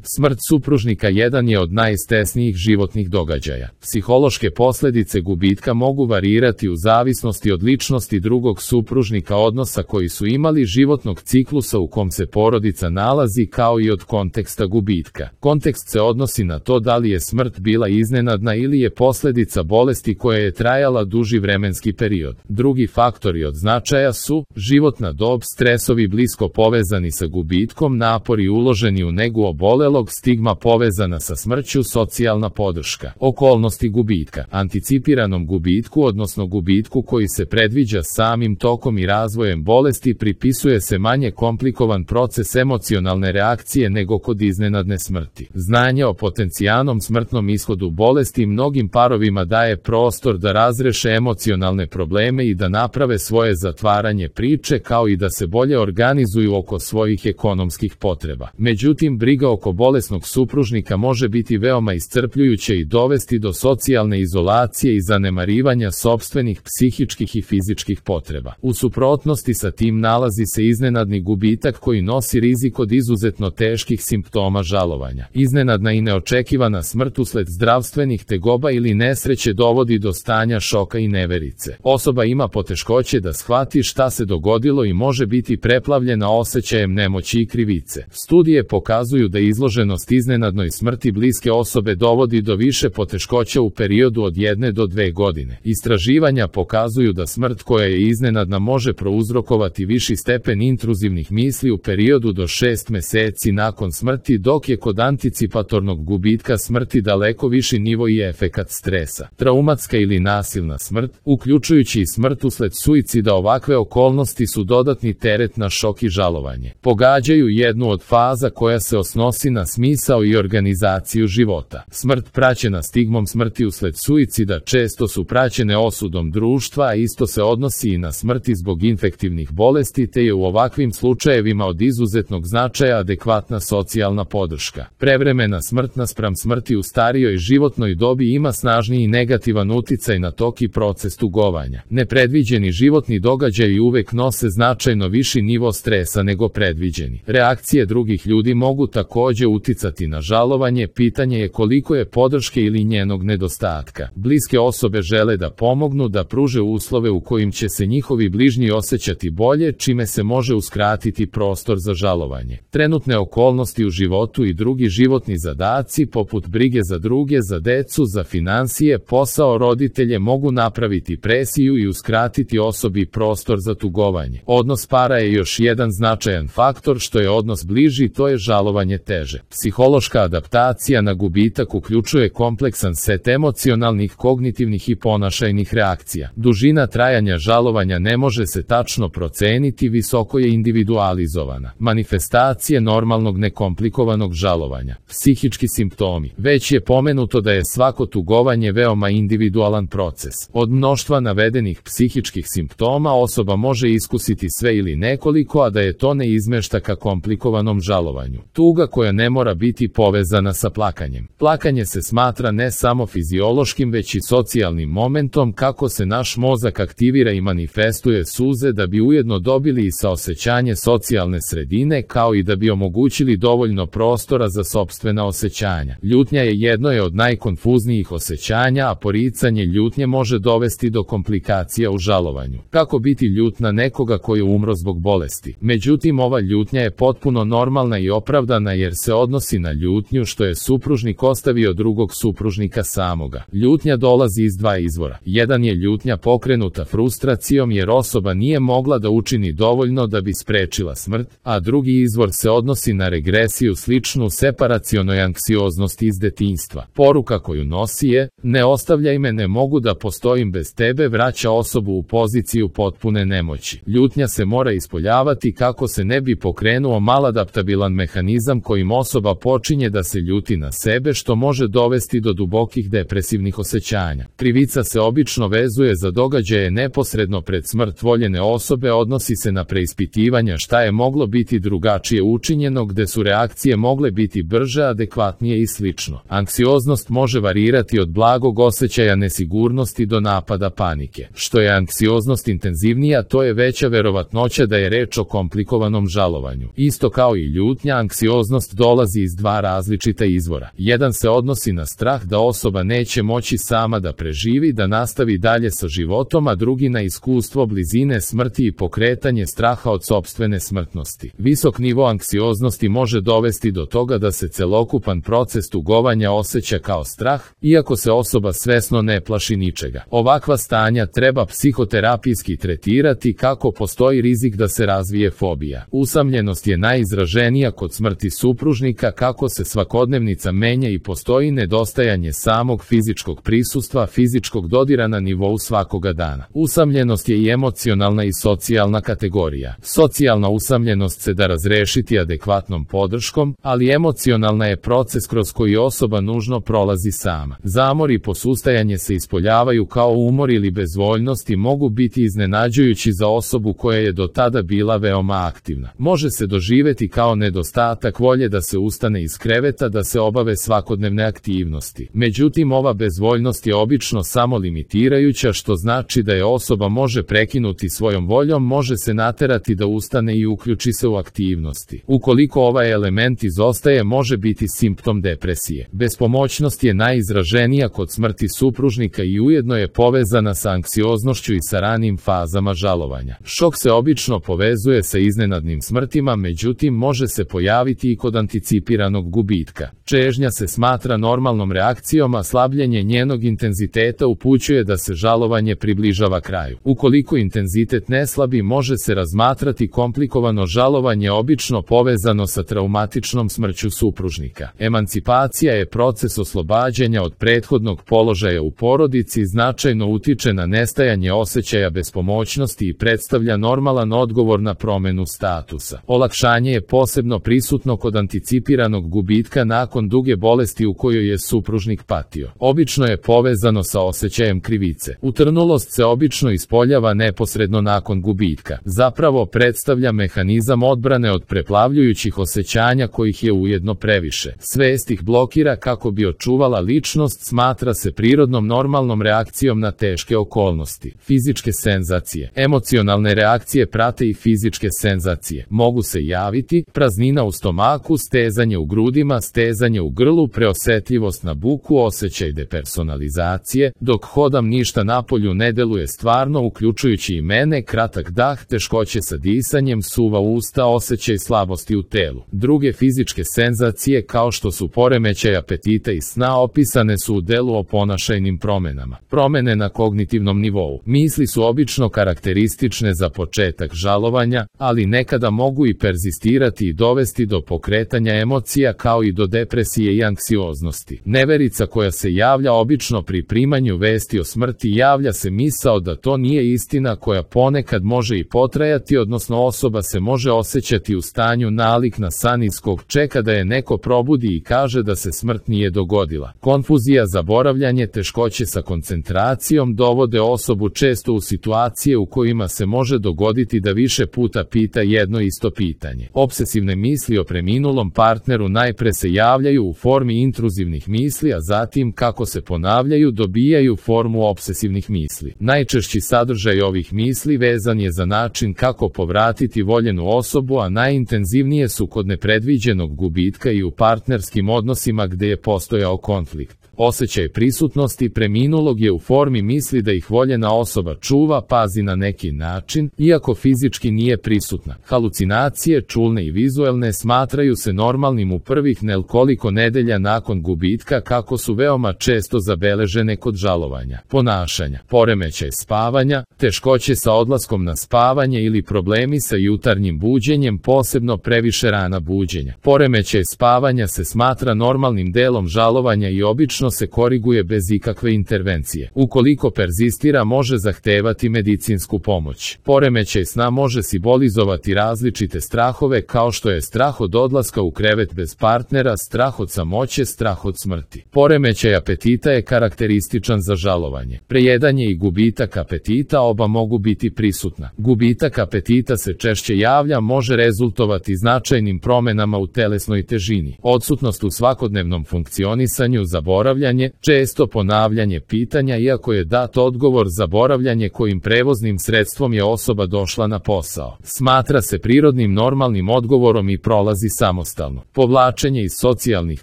Smrt supružnika jedan je od najstresnijih životnih događaja. Psihološke posljedice gubitka mogu varirati u zavisnosti od ličnosti drugog supružnika, odnosa koji su imali, životnog ciklusa u kom se porodica nalazi, kao i od konteksta gubitka. Kontekst se odnosi na to da li je smrt bila iznenadna ili je posljedica bolesti koja je trajala duži vremenski period. Drugi faktori od značaja su životna dob, stresovi blisko povezani sa gubitkom, napori uloženi u negu obolelog, stigma povezana sa smrću, socijalna podrška. Okolnosti gubitka. Anticipiranom gubitku, odnosno gubitku koji se predviđa samim tokom i razvojem bolesti, pripisuje se manje komplikovan proces emocionalne reakcije nego kod iznenadne smrti. Znanje o potencijalnom smrtnom ishodu bolesti mnogim parovima daje prostor da razreše emocionalne probleme i da naprave svoje zatvaranje priče, kao i da se bolje organizuju oko svojih ekonomskih potreba. Međutim, briga oko bolesnog supružnika može biti veoma iscrpljujuće i dovesti do socijalne izolacije i zanemarivanja sopstvenih psihičkih i fizičkih potreba. U suprotnosti sa tim nalazi se iznenadni gubitak koji nosi rizik od izuzetno teških simptoma žalovanja. Iznenadna i neočekivana smrt usled zdravstvenih tegoba ili nesreće dovodi do stanja šoka i neverice. Osoba ima poteškoće da shvati šta se dogodilo i može biti preplavljena osjećajem nemoći i krivice. Studije pokazuju da izloženost iznenadnoj smrti bliske osobe dovodi do više poteškoća u periodu od 1 do 2 godine. Istraživanja pokazuju da smrt koja je iznenadna može prouzrokovati viši stepen intruzivnih misli u periodu do 6 meseci nakon smrti, dok je kod anticipatornog gubitka smrti daleko viši nivo i efekat stresa. Traumatska ili nasilna smrt, uključujući i smrt usled suicida, ovakve okolnosti su dodatni teret na šok i žalovanje. Pogađaju jednu od faza koja se odnosi na smisao i organizaciju života. Smrt praćena stigmom smrti usled suicida često su praćene osudom društva, a isto se odnosi i na smrti zbog infektivnih bolesti, te je u ovakvim slučajevima od izuzetnog značaja adekvatna socijalna podrška. Prevremena smrt naspram smrti u starijoj životnoj dobi ima snažniji negativan uticaj na tok i proces tugovanja. Nepredviđeni životni događaji uvek nose značajno viši nivo stresa nego predviđeni. Reakcije drugih ljudi mogu također uticati na žalovanje, pitanje je koliko je podrške ili njenog nedostatka. Bliske osobe žele da pomognu, da pruže uslove u kojim će se njihovi bližnji osjećati bolje, čime se može uskratiti prostor za žalovanje. Trenutne okolnosti u životu i drugi životni zadaci, poput brige za druge, za decu, za finansije, posao, roditelje, mogu napraviti presiju i uskratiti osobi prostor za tugovanje. Odnos para je još jedan značajan faktor. Što je odnos bliži, to je žalovanje teže. Psihološka adaptacija na gubitak uključuje kompleksan set emocionalnih, kognitivnih i ponašajnih reakcija. Dužina trajanja žalovanja ne može se tačno proceniti, visoko je individualizovana. Manifestacije normalnog nekomplikovanog žalovanja. Psihički simptomi. Već je pomenuto da je svako tugovanje veoma individualan proces. Od mnoštva navedenih psihičkih simptoma osoba može iskusiti sve ili nekoliko, a da je to ne izmešta ka komplikovanom žalovanju. Tuga koja ne mora biti povezana sa plakanjem. Plakanje se smatra ne samo fiziološkim, već i socijalnim momentom kako se naš mozak aktivira i manifestuje suze da bi ujedno dobili i saosećanje socijalne sredine, kao i da bi omogućili dovoljno prostora za sopstvena osjećanja. Ljutnja je jedno od najkonfuznijih osjećanja, a poricanje ljutnje može dovesti do komplikacija u žalovanju. Kako biti ljut na nekoga koji umro zbog bolesti? Međutim, ova ljutnja je potpuno normalna i opravdana jer se odnosi na ljutnju što je supružnik ostavio drugog supružnika samoga. Ljutnja dolazi iz dva izvora. Jedan je ljutnja pokrenuta frustracijom jer osoba nije mogla da učini dovoljno da bi sprečila smrt, a drugi izvor se odnosi na regresiju sličnu separacionoj anksioznosti iz detinjstva. Poruka koju nosi je: ne ostavljaj me, ne mogu da postojim bez tebe, vraća osobu u poziciju potpune nemoći. Ljutnja se mora ispoljavati kako se ne bi pokrenuo maladaptabilan mehanizam kojim osoba počinje da se ljuti na sebe, što može dovesti do dubokih depresivnih osjećanja. Krivica se obično vezuje za događaje neposredno pred smrt voljene osobe, odnosi se na preispitivanja šta je moglo biti drugačije učinjeno, gde su reakcije mogle biti brže, adekvatnije i slično. Anksioznost može varirati od blagog osjećaja nesigurnosti do napada panike. Što je anksioznost intenzivnija, to je veća verovatnoća da je reč o komplikovanom žalovanju. Isto kao i ljutnja, anksioznost dolazi dolazi iz dva različita izvora. Jedan se odnosi na strah da osoba neće moći sama da preživi, da nastavi dalje sa životom, a drugi na iskustvo blizine smrti i pokretanje straha od sopstvene smrtnosti. Visok nivo anksioznosti može dovesti do toga da se celokupan proces tugovanja osjeća kao strah, iako se osoba svesno ne plaši ničega. Ovakva stanja treba psihoterapijski tretirati kako postoji rizik da se razvije fobija. Usamljenost je najizraženija kod smrti supružnika, kako se svakodnevnica menja i postoji nedostajanje samog fizičkog prisustva, fizičkog dodira na nivou svakoga dana. Usamljenost je i emocionalna i socijalna kategorija. Socijalna usamljenost se da razrešiti adekvatnom podrškom, ali emocionalna je proces kroz koji osoba nužno prolazi sama. Zamor i posustajanje se ispoljavaju kao umor ili bezvoljnost i mogu biti iznenađujući za osobu koja je do tada bila veoma aktivna. Može se doživeti kao nedostatak volje da se ustane iz kreveta, da se obave svakodnevne aktivnosti. Međutim, ova bezvoljnost je obično samo limitirajuća, što znači da je osoba može prekinuti svojom voljom, može se naterati da ustane i uključi se u aktivnosti. Ukoliko ovaj element izostaje, može biti simptom depresije. Bespomoćnost je najizraženija kod smrti supružnika i ujedno je povezana sa anksioznošću i sa ranim fazama žalovanja. Šok se obično povezuje sa iznenadnim smrtima, međutim može se pojaviti i kod anticipiranog gubitka. Čežnja se smatra normalnom reakcijom, a slabljenje njenog intenziteta upućuje da se žalovanje približava kraju. Ukoliko intenzitet ne slabi, može se razmatrati komplikovano žalovanje, obično povezano sa traumatičnom smrću supružnika. Emancipacija je proces oslobađanja od prethodnog položaja u porodici, značajno utiče na nestajanje osjećaja bespomoćnosti i predstavlja normalan odgovor na promenu statusa. Olakšanje je posebno prisutno kod anticipiranog gubitka nakon duge bolesti u kojoj je supružnik patio. Obično je povezano sa osjećajem krivice. Utrnulost se obično ispoljava neposredno nakon gubitka. Zapravo predstavlja mehanizam odbrane od preplavljujućih osjećanja kojih je ujedno previše. Svest ih blokira kako bi očuvala ličnost, smatra se prirodnom normalnom reakcijom na teške okolnosti. Fizičke senzacije. Emocionalne reakcije prate i fizičke senzacije. Mogu se javiti praznina u stomaku, stezanje u grudima, stezanje u grlu, preosetljivost na buku, osjećaj depersonalizacije, dok hodam ništa napolju ne deluje stvarno, uključujući i mene, kratak dah, teškoće sa disanjem, suva usta, osjećaj slabosti u telu. Druge fizičke senzacije kao što su poremećaj apetita i sna opisane su u delu o ponašajnim promenama. Promene na kognitivnom nivou. Misli su obično karakteristične za početak žalovanja, ali nekada mogu i perzistirati i dovesti do pokretanja emocija kao i do depresije i anksioznosti. Neverica koja se javlja obično pri primanju vesti o smrti, javlja se misao da to nije istina, koja ponekad može i potrajati, odnosno osoba se može osjećati u stanju nalik na san iz kog čeka da je neko probudi i kaže da se smrt nije dogodila. Konfuzija, zaboravljanje, teškoće sa koncentracijom dovode osobu često u situacije u kojima se može dogoditi da više puta pita jedno isto pitanje. Obsesivne misli o preminulom partneru najpre se javljaju u formi intruzivnih misli, a zatim kako se ponavljaju dobijaju formu obsesivnih misli. Najčešći sadržaj ovih misli vezan je za način kako povratiti voljenu osobu, a najintenzivnije su kod nepredviđenog gubitka i u partnerskim odnosima gde je postojao konflikt. Osjećaj prisutnosti preminulog je u formi misli da ih voljena osoba čuva, pazi na neki način, iako fizički nije prisutna. Halucinacije, čulne i vizuelne, smatraju se normalnim u prvih nekoliko nedelja nakon gubitka, kako su veoma često zabeležene kod žalovanja. Ponašanja, poremećaj spavanja, teškoće sa odlaskom na spavanje ili problemi sa jutarnjim buđenjem, posebno previše rana buđenja. Poremećaj spavanja se smatra normalnim delom žalovanja i obično se koriguje bez ikakve intervencije. Ukoliko perzistira, može zahtevati medicinsku pomoć. Poremećaj sna može simbolizovati različite strahove, kao što je strah od odlaska u krevet bez partnera, strah od samoće, strah od smrti. Poremećaj apetita je karakterističan za žalovanje. Prejedanje i gubitak apetita oba mogu biti prisutna. Gubitak apetita se češće javlja, može rezultovati značajnim promenama u telesnoj težini. Odsutnost u svakodnevnom funkcionisanju, zaboravljanje zaboravljanje, često ponavljanje pitanja iako je dat odgovor, zaboravljanje kojim prevoznim sredstvom je osoba došla na posao. Smatra se prirodnim normalnim odgovorom i prolazi samostalno. Povlačenje iz socijalnih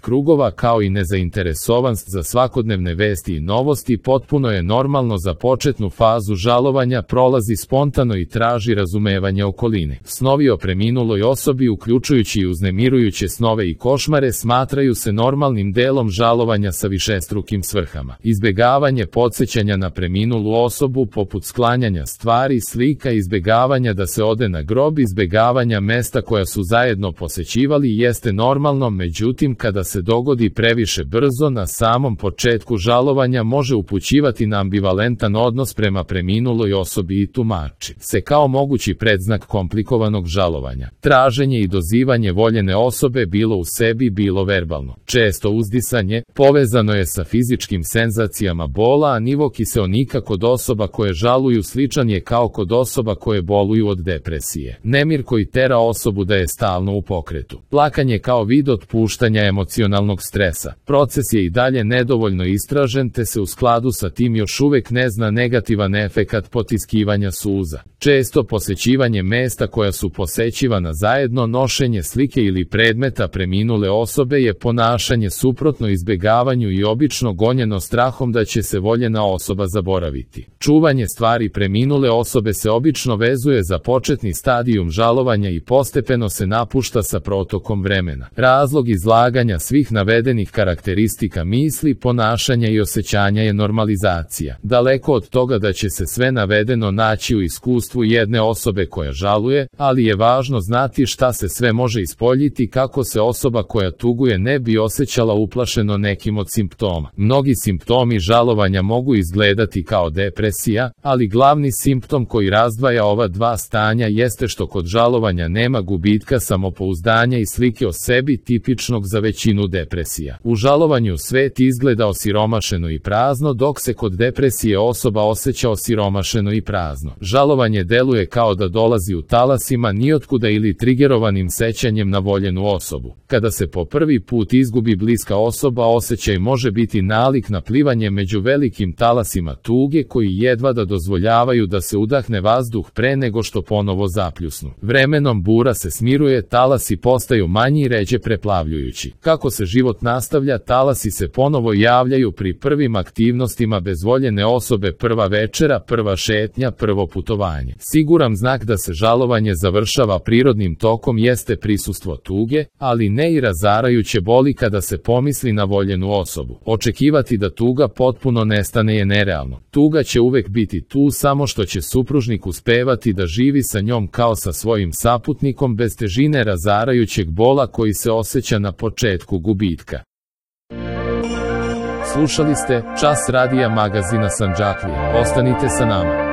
krugova kao i nezainteresovanost za svakodnevne vesti i novosti potpuno je normalno za početnu fazu žalovanja, prolazi spontano i traži razumevanje okoline. Snovi o preminuloj osobi, uključujući i uznemirujuće snove i košmare, smatraju se normalnim delom žalovanja sa višestrukim svrhama. Izbegavanje podsjećanja na preminulu osobu poput sklanjanja stvari, slika, izbegavanja da se ode na grob, izbegavanja mesta koja su zajedno posećivali jeste normalno, međutim kada se dogodi previše brzo na samom početku žalovanja može upućivati na ambivalentan odnos prema preminuloj osobi i tumači se kao mogući predznak komplikovanog žalovanja. Traženje i dozivanje voljene osobe bilo u sebi, bilo verbalno. Često uzdisanje povezano je sa fizičkim senzacijama bola, a nivo kiseonika kod osoba koje žaluju sličan je kao kod osoba koje boluju od depresije. Nemir koji tera osobu da je stalno u pokretu. Plakanje kao vid otpuštanja emocionalnog stresa. Proces je i dalje nedovoljno istražen te se u skladu sa tim još uvek ne zna negativan efekat potiskivanja suza. Često posećivanje mesta koja su posećivana zajedno, nošenje slike ili predmeta preminule osobe je ponašanje suprotno izbegavanju i obično gonjeno strahom da će se voljena osoba zaboraviti. Čuvanje stvari preminule osobe se obično vezuje za početni stadijum žalovanja i postepeno se napušta sa protokom vremena. Razlog izlaganja svih navedenih karakteristika misli, ponašanja i osjećanja je normalizacija. Daleko od toga da će se sve navedeno naći u iskustvu jedne osobe koja žaluje, ali je važno znati šta se sve može ispoljiti kako se osoba koja tuguje ne bi osjećala uplašeno nekim od simptoma. Mnogi simptomi žalovanja mogu izgledati kao depresija, ali glavni simptom koji razdvaja ova dva stanja jeste što kod žalovanja nema gubitka samopouzdanja i slike o sebi tipičnog za većinu depresija. U žalovanju svet izgleda osiromašeno i prazno, dok se kod depresije osoba osjeća osiromašeno i prazno. Žalovanje deluje kao da dolazi u talasima nijotkuda ili trigerovanim sećanjem na voljenu osobu. Kada se po prvi put izgubi bliska osoba, osjećaj može biti nalik na plivanje među velikim talasima tuge koji jedva da dozvoljavaju da se udahne vazduh pre nego što ponovo zapljusnu. Vremenom bura se smiruje, talasi postaju manji i ređe preplavljujući. Kako se život nastavlja, talasi se ponovo javljaju pri prvim aktivnostima bez voljene osobe, prva večera, prva šetnja, prvo putovanje. Siguran znak da se žalovanje završava prirodnim tokom jeste prisustvo tuge, ali ne i razarajuće boli kada se pomisli na voljenu osobu. Očekivati da tuga potpuno nestane je nerealno. Tuga će uvek biti tu, samo što će supružnik uspevati da živi sa njom kao sa svojim saputnikom bez težine razarajućeg bola koji se osjeća na početku gubitka. Slušali ste Čas radija magazina Sandžaklija. Ostanite sa nama.